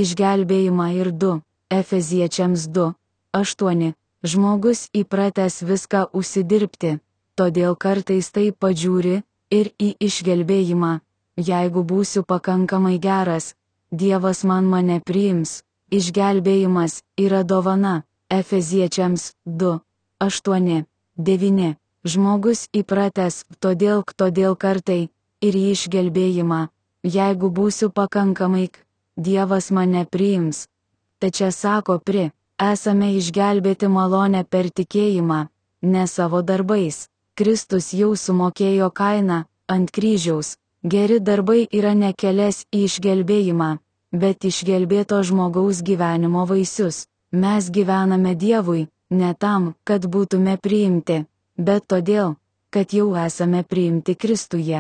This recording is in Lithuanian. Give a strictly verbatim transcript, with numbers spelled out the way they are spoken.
išgelbėjimą ir du. Efeziečiams du, aštuoni. Žmogus įpratęs viską užsidirbti, todėl kartais taip pažiūri ir į išgelbėjimą. Jeigu būsiu pakankamai geras, Dievas man mane priims. Išgelbėjimas yra dovana. Efeziečiams du, aštuoni, devyni. Žmogus įpratęs, todėl, todėl kartai, ir į išgelbėjimą. Jeigu būsiu pakankamai, Dievas mane priims. Tačiau sako pri, esame išgelbėti malonę per tikėjimą, ne savo darbais. Kristus jau sumokėjo kainą ant kryžiaus. Geri darbai yra ne kelias į išgelbėjimą, bet išgelbėto žmogaus gyvenimo vaisius. Mes gyvename Dievui, ne tam, kad būtume priimti, bet todėl, kad jau esame priimti Kristuje.